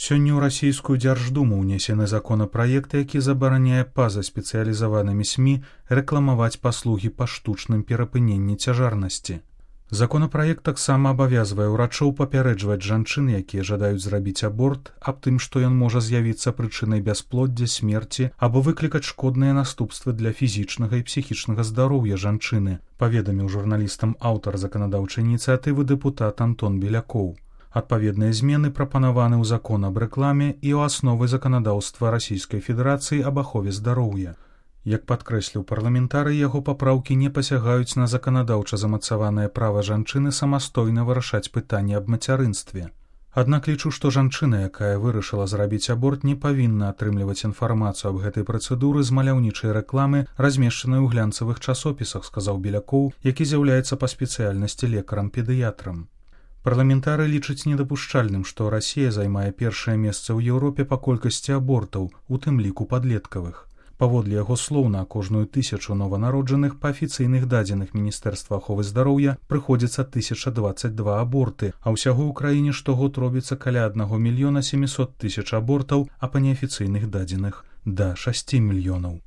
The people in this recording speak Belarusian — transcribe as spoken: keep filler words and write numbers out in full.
Сёння ў расійскую дзярждуму ўнесены законапраект, які забараняе па-за спецыялізаванымі СМІ рэкламаваць паслугі па штучным перапыненні цяжарнасці. Законапраект таксама абавязвае ўрачоў папярэджваць жанчын, якія жадаюць зрабіць аборт, аб тым, што ён можа з'явіцца прычынай бясплоддзя, смерці або выклікаць шкодныя наступствы для фізічнага і псіхічнага здароўя жанчыны, паведаміў журналістам аўтар заканадаўчай ініцыятывы дэпутат Антон Белякоў. Адпаведныя змены прапанаваны ў закон аб рэкламе і ў асновы заканадаўства Расійскай Федэрацыі аб ахове здароўя. Як падкрэсліў парламентарый, яго папраўкі не пасягаюць на заканадаўча замацаванае права жанчыны самастойна вырашаць пытанне аб мацярынстве. Аднак лічу, што жанчына, якая вырашыла зрабіць аборт, не павінна атрымліваць інфармацыю аб гэтай працэдуры з маляўнічай рэкламы, размешчанай у глянцавых часопісах, сказаў Белякоў, які з'яўляецца па спецыяльнасці лекарам-педыятрам. Парламентары лічаць недапушчальным, што Расія займае першае месца ў Еўропе па колькасці абортаў, у тым ліку падлеткавых. Паводле яго слоў, на кожную тысячу нованароджаных па афіцыйных дадзеных Міністэрства аховы здароўя прыходзіцца тысяча дваццаць два аборты, а ўсяго ў краіне штогод робіцца каля аднаго мільёна сямісот тысяч абортаў, а па неафіцыйных дадзеных да шасці мільёнаў.